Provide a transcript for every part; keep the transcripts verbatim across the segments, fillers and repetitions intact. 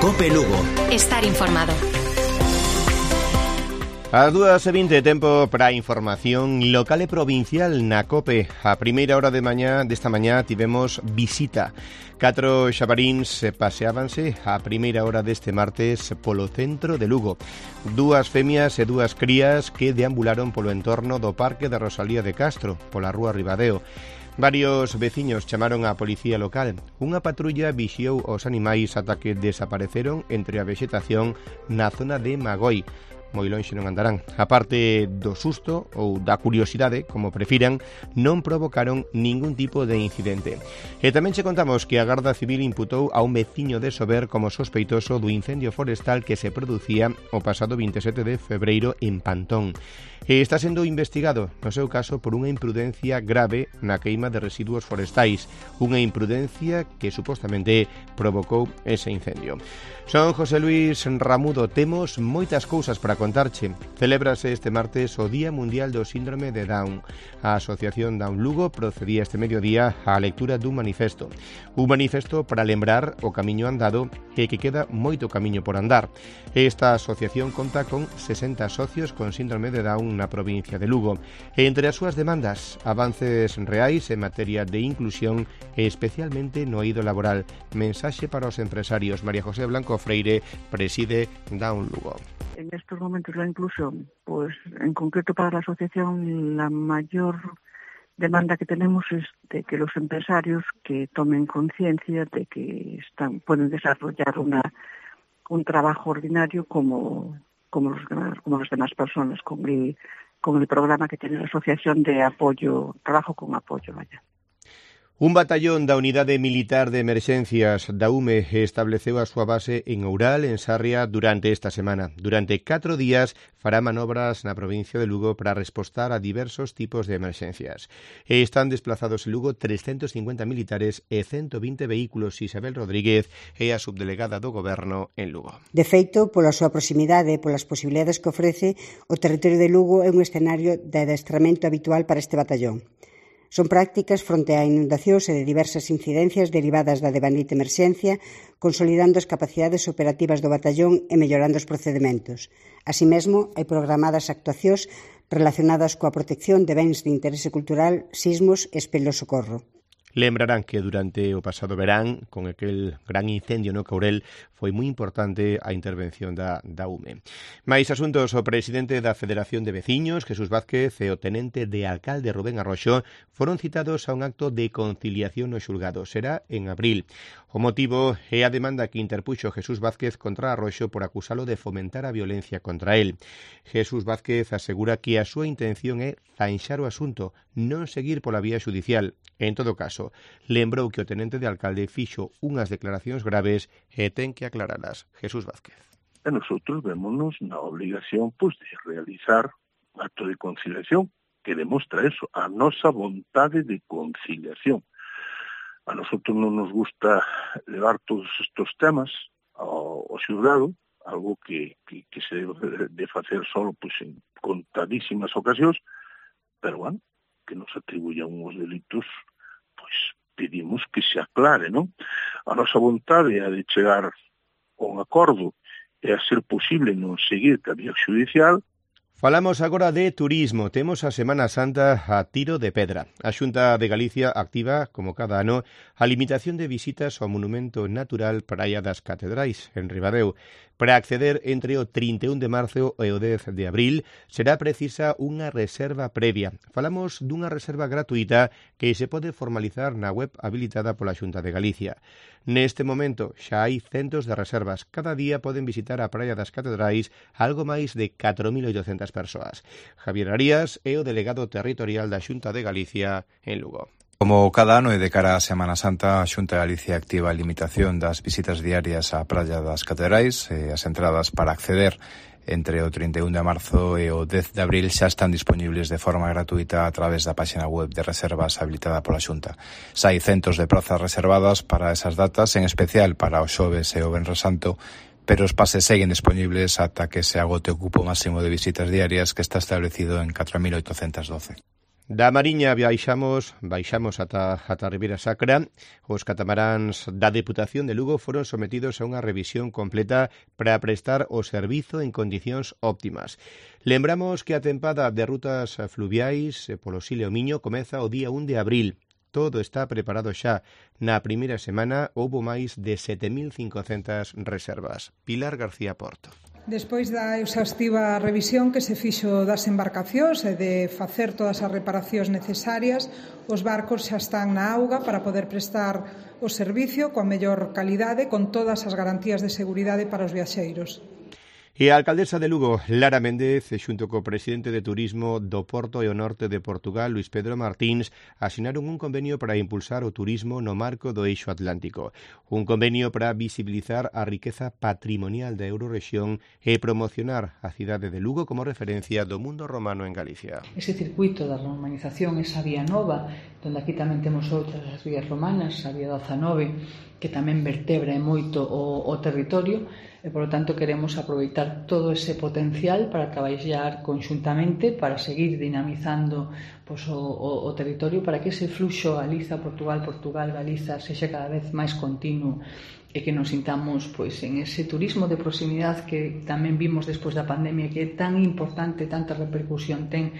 COPE Lugo. Estar informado. As dúas e vinte, tempo para a información local e provincial na COPE. A primeira hora de mañá desta mañá tivemos visita. Catro xabaríns paseábanse a primeira hora deste martes polo centro de Lugo. Dúas femias e dúas crías que deambularon polo entorno do Parque de Rosalía de Castro, pola rúa Ribadeo. Varios veciños chamaron á policía local. Unha patrulla vixiou os animais ata que desapareceron entre a vexetación na zona de Magoi. Moi lonxe non andarán. A parte do susto ou da curiosidade, como prefiran, non provocaron ningún tipo de incidente. E tamén che contamos que a Garda Civil imputou a un veciño de Sober como sospeitoso do incendio forestal que se producía o pasado vinte e sete de febreiro en Pantón. E está sendo investigado, no seu caso, por unha imprudencia grave na queima de residuos forestais, unha imprudencia que supostamente provocou ese incendio. Son José Luis Ramudo, temos moitas cousas para contarche. Celébrase este martes o Día Mundial do Síndrome de Down. A Asociación Down Lugo procedía este mediodía á lectura dun manifesto. Un manifesto para lembrar o camiño andado e que queda moito camiño por andar. Esta asociación conta con sesenta socios con síndrome de Down na provincia de Lugo. E entre as súas demandas, avances reais en materia de inclusión e especialmente no eido laboral. Mensaxe para os empresarios. María José Blanco Freire preside Down Lugo. En estos momentos la inclusión, pues en concreto para la asociación, la mayor demanda que tenemos es de que los empresarios que tomen conciencia de que están pueden desarrollar una un trabajo ordinario como como los demás, como las demás personas, con el con el programa que tiene la asociación de apoyo, trabajo con apoyo, vaya. Un batallón da Unidade Militar de Emerxencias da U M E estableceu a súa base en Oural, en Sarria, durante esta semana. Durante catro días fará manobras na provincia de Lugo para respostar a diversos tipos de emerxencias. E están desplazados en Lugo trescentos cincuenta militares e ciento vinte vehículos. Isabel Rodríguez é a subdelegada do Goberno en Lugo. De feito, pola súa proximidade e polas posibilidades que ofrece, o territorio de Lugo é un escenario de adestramento habitual para este batallón. Son prácticas fronte a inundacións e de diversas incidencias derivadas da devanite emerxencia, consolidando as capacidades operativas do batallón e mellorando os procedementos. Así mesmo, hai programadas actuacións relacionadas coa protección de bens de interese cultural, sismos e espelos socorro. Lembrarán que durante o pasado verán, con aquel gran incendio no Courel, foi moi importante a intervención da, da U M E. Mais asuntos, o presidente da Federación de Veciños, Jesús Vázquez, e o tenente de alcalde Rubén Arroxo foron citados a un acto de conciliación no xulgado. Será en abril. O motivo é a demanda que interpuxo Jesús Vázquez contra Arroxo por acusalo de fomentar a violencia contra el. Jesús Vázquez asegura que a súa intención é zanxar o asunto, non seguir pola vía xudicial. En todo caso, lembrou que o tenente de alcalde fixo unhas declaracións graves e ten que aclaralas. Jesús Vázquez. E nosotros vémonos na obligación pues, de realizar un acto de conciliación que demostra eso, a nosa vontade de conciliación. A nosotros non nos gusta levar todos estes temas ao, ao xulgado, algo que, que, que se debe de facer solo pues, en contadísimas ocasións, pero bueno, que nos atribuyan uns delitos, pois pedimos que se aclare, non? A nosa vontade é de chegar a un acordo e a ser posible non seguir ca vía xudicial. Falamos agora de turismo. Temos a Semana Santa a tiro de pedra. A Xunta de Galicia activa, como cada ano, a limitación de visitas ao monumento natural Praia das Catedrais, en Ribadeo. Para acceder entre o trinta e un de marzo e o dez de abril será precisa unha reserva previa. Falamos dunha reserva gratuita que se pode formalizar na web habilitada pola Xunta de Galicia. Neste momento xa hai centos de reservas. Cada día poden visitar a Praia das Catedrais algo máis de catro mil oitocentas persoas. Javier Arías é o delegado territorial da Xunta de Galicia en Lugo. Como cada ano e de cara á Semana Santa, a Xunta de Galicia activa a limitación das visitas diarias á Praia das Catedrais e as entradas para acceder entre o trinta e un de marzo e o dez de abril xa están disponibles de forma gratuita a través da páxina web de reservas habilitada pola Xunta. Xa hai centos de prazas reservadas para esas datas, en especial para o xoves e o venres santo, pero os pases seguen disponibles ata que se agote o cupo máximo de visitas diarias que está establecido en catro mil oitocentas doce. Da Mariña baixamos, baixamos ata, ata a Ribeira Sacra. Os catamaráns da Deputación de Lugo foron sometidos a unha revisión completa para prestar o servizo en condicións óptimas. Lembramos que a tempada de rutas fluviais polo Sil e o Miño comeza o día un de abril. Todo está preparado xa. Na primeira semana houbo máis de sete mil cincocentas reservas. Pilar García Porto. Despois da exhaustiva revisión que se fixo das embarcacións e de facer todas as reparacións necesarias, os barcos xa están na auga para poder prestar o servicio coa mellor calidade, con todas as garantías de seguridade para os viaxeiros. E a alcaldesa de Lugo, Lara Méndez, xunto co presidente de Turismo do Porto e o Norte de Portugal, Luís Pedro Martins, asinaron un convenio para impulsar o turismo no marco do eixo atlántico. Un convenio para visibilizar a riqueza patrimonial da Eurorrexión e promocionar a cidade de Lugo como referencia do mundo romano en Galicia. Ese circuito da romanización, esa vía nova, donde aquí tamén temos outras as vías romanas, a vía dezanove, que tamén vertebra moito o, o territorio, e, por lo tanto, queremos aproveitar todo ese potencial para traballar conxuntamente para seguir dinamizando pois, o, o, o territorio, para que ese fluxo Galiza, Portugal, Portugal, Galiza sexa cada vez máis continuo e que nos sintamos pois, en ese turismo de proximidade que tamén vimos despois da pandemia, que é tan importante, tanta repercusión ten.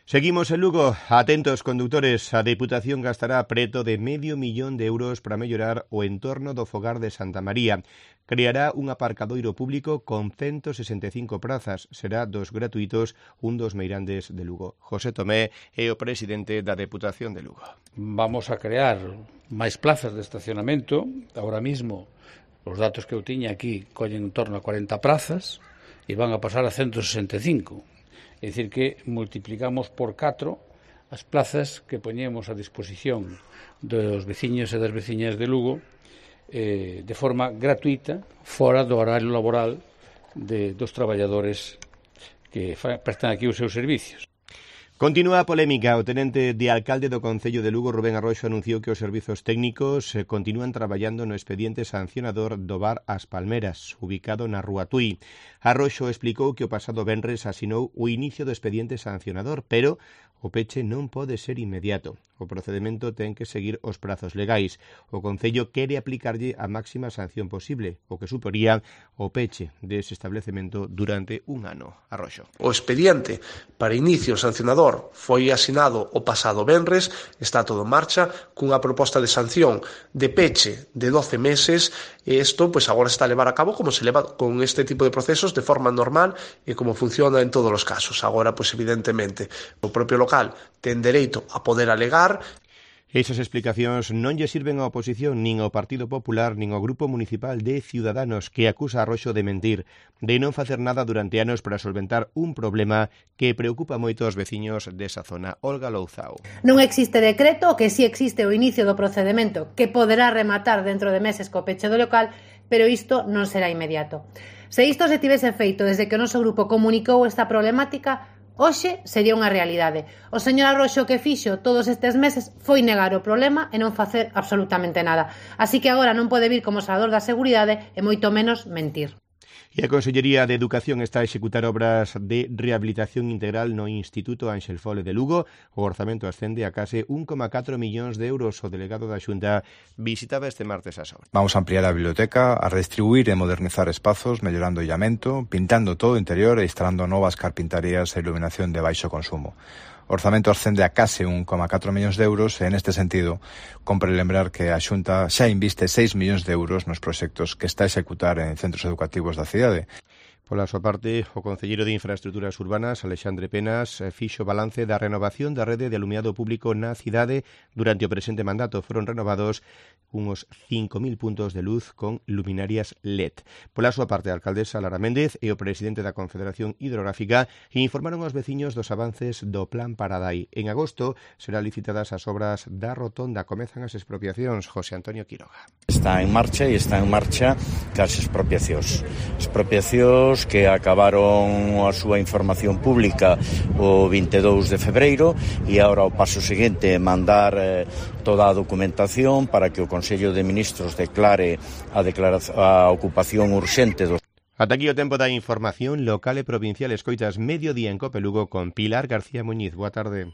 Seguimos en Lugo. Atentos, condutores. A Deputación gastará preto de medio millón de euros para mellorar o entorno do fogar de Santa María. Creará un aparcadoiro público con ciento sesenta e cinco prazas. Será dos gratuitos, un dos meirandes de Lugo. José Tomé é o presidente da Deputación de Lugo. Vamos a crear máis plazas de estacionamento. Ahora mismo, os datos que eu tiña aquí collen en torno a cuarenta prazas e van a pasar a ciento sesenta e cinco. É dicir que multiplicamos por catro as plazas que poñemos a disposición dos veciños e das veciñas de Lugo eh, de forma gratuita, fora do horario laboral de, dos traballadores que fa, prestan aquí os seus servicios. Continúa a polémica. O tenente de alcalde do Concello de Lugo, Rubén Arroxo, anunciou que os servizos técnicos continúan traballando no expediente sancionador do bar As Palmeras, ubicado na Rúa Tui. Arroxo explicou que o pasado venres asinou o inicio do expediente sancionador, pero o peche non pode ser inmediato. O procedimento ten que seguir os prazos legais. O Concello quere aplicarlle a máxima sanción posible, o que suporía o peche dese establecemento durante un ano. Arroxo. O expediente para inicio sancionador foi asinado o pasado venres, está todo en marcha, cunha proposta de sanción de peche de doce meses, e isto pois agora está a levar a cabo como se leva con este tipo de procesos de forma normal e como funciona en todos os casos. Agora, pois evidentemente, o propio local ten dereito a poder alegar. Esas explicacións non lle sirven á oposición, nin ao Partido Popular, nin ao Grupo Municipal de Ciudadanos, que acusa a Arroxo de mentir, de non facer nada durante anos para solventar un problema que preocupa moito aos veciños desa zona. Olga Louzao. Non existe decreto, o que si existe o inicio do procedimento, que poderá rematar dentro de meses co peche do local, pero isto non será inmediato. Se isto se tivese feito desde que o noso grupo comunicou esta problemática, hoxe sería unha realidade. O señor Arroxo que fixo todos estes meses foi negar o problema e non facer absolutamente nada. Así que agora non pode vir como salvador da seguridade e moito menos mentir. E a Consellería de Educación está a executar obras de rehabilitación integral no Instituto Ánxel Fole de Lugo. O orzamento ascende a case un coma catro millóns de euros. O delegado da Xunta visitaba este martes as obras. Vamos a ampliar a biblioteca, a redistribuir e modernizar espazos, mellorando o illamento, pintando todo o interior e instalando novas carpintarías e iluminación de baixo consumo. O orzamento ascende a case un coma catro millóns de euros e, neste sentido, compre lembrar que a Xunta xa inviste seis millóns de euros nos proxectos que está a executar en centros educativos da cidade. Pola súa parte, o concelleiro de Infraestructuras Urbanas, Alexandre Penas, fixo balance da renovación da rede de alumiado público na cidade durante o presente mandato. Foron renovados uns cinco mil puntos de luz con luminarias L E D. Pola súa parte, a alcaldesa Lara Méndez e o presidente da Confederación Hidrográfica informaron aos veciños dos avances do Plan Paradai. En agosto serán licitadas as obras da rotonda. Comezan as expropiacións. José Antonio Quiroga. Está en marcha e está en marcha cas expropiacións. Expropiacións que acabaron a súa información pública o vinte e dous de febreiro e agora o paso seguinte é mandar eh, toda a documentación para que o Consello de Ministros declare a, declaración, a ocupación urxente dos. Ata aquí o tempo da información local e provincial. Escoitas Mediodía en Cope Lugo con Pilar García Muñiz. Boa tarde.